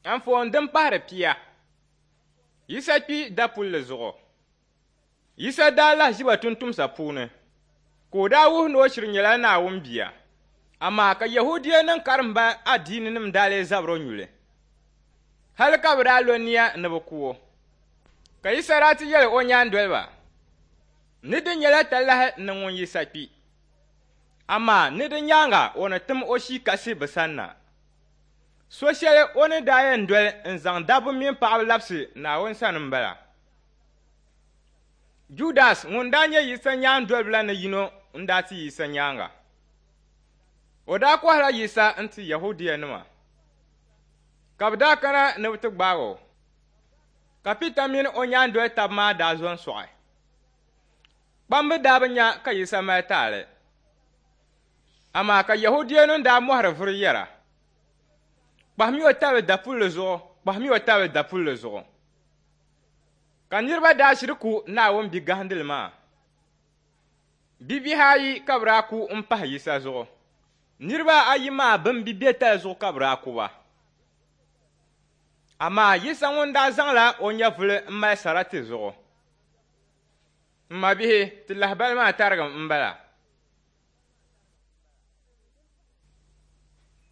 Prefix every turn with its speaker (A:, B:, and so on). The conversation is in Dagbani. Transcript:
A: Anfooni din pahiri pia. Yisa kpi dapulli zuɣu. Yisa daa lahiʒiba tumtumsa puuni, ka o daa wuhi ni o shiri nyɛla Naawuni Bia. Amaa ka Yɛhudianim karimba adiininim daa lee zabir o nyuli, hal ka bɛ daa lo nia ni bɛ ku o. Ka Yisa daa ti yɛli o nyaandoliba ni di nyɛla talahi ni ŋun Yisa kpi, amaa ni di nyaaŋa o ni tim o Shii Kasi bɛ sanna. So shɛli o ni daa yɛn doli n-zaŋ dabba mini paɣiba labisi Naawuni sani m-bala. Judas ŋun daa nyɛ Yisa nyaandoliba la ni yino n-daa ti Yisa nyaaŋa. O daa kɔhila Yisa n-ti Yɛhudianima, ka bɛ daa kana ni bɛ ti gbaag o. Ka Pita mini o nyaandoli tab maa daa zo n-sɔɣi. Kpamba daa bi nya ka Yisa mali taali, amaa ka Yɛhudianim daa mɔhiri vuri yɛra, Kpahimi o tabili dapulli zuɣu, kpahimi o tabili dapulli zuɣu. Ka niriba daa shiri ku Naawuni bi gahindili maa. Bibihi ayi ka bɛ daa ku m-pahi Yisa zuɣu. Niriba ayi maa bɛn bi be tali zuɣu ka bɛ daa ku ba. Amaa Yisa ŋun daa zaŋla o nyɛvuli m-mali sara ti zuɣu. M mabihi, ti lahibali maa tarigim m-bala.